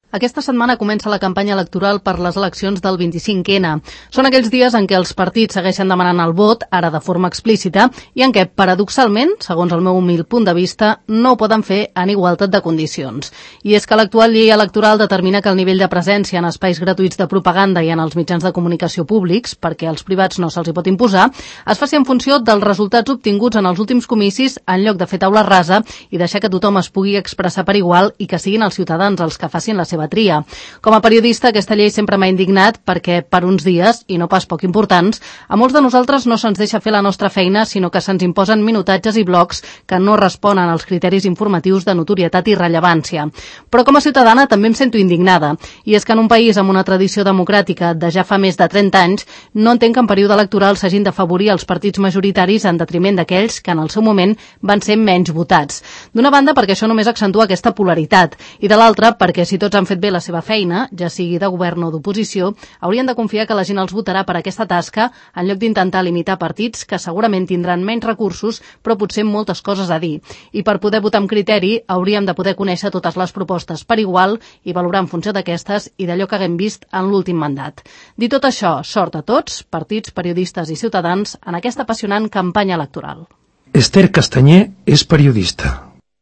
Aquesta setmana comença la campanya electoral per les eleccions del 25N. Són aquells dies en què els partits segueixen demanant el vot, ara de forma explícita, i en què, paradoxalment, segons el meu humil punt de vista, no ho poden fer en igualtat de condicions. I és que l'actual llei electoral determina que el nivell de presència en espais gratuïts de propaganda i en els mitjans de comunicació públics, perquè als privats no se'ls hi pot imposar, es faci en funció dels resultats obtinguts en els últims comicis en lloc de fer taula rasa i deixar que tothom es pugui expressar per igual i que siguin els ciutadans els que facin la seva tria. Com a periodista, aquesta llei sempre m'ha indignat perquè, per uns dies, i no pas poc importants, a molts de nosaltres no se'ns deixa fer la nostra feina, sinó que se'ns imposen minutatges i blocs que no responen als criteris informatius de notorietat i rellevància. Però com a ciutadana també em sento indignada, i és que en un país amb una tradició democràtica de ja fa més de 30 anys, no entenc que en període electoral s'hagin d'afavorir els partits majoritaris en detriment d'aquells que en el seu moment van ser menys votats. D'una banda, perquè això només accentua aquesta polaritat, i de l'altra, perquè si tots han fet bé la seva feina, ja sigui de govern o d'oposició, haurien de confiar que la gent els votarà per aquesta tasca en lloc d'intentar limitar partits que segurament tindran menys recursos però potser moltes coses a dir. I per poder votar amb criteri hauríem de poder conèixer totes les propostes per igual i valorar en funció d'aquestes i d'allò que haguem vist en l'últim mandat. Dit tot això, sort a tots, partits, periodistes i ciutadans, en aquesta apassionant campanya electoral. Esther Castanyer és periodista.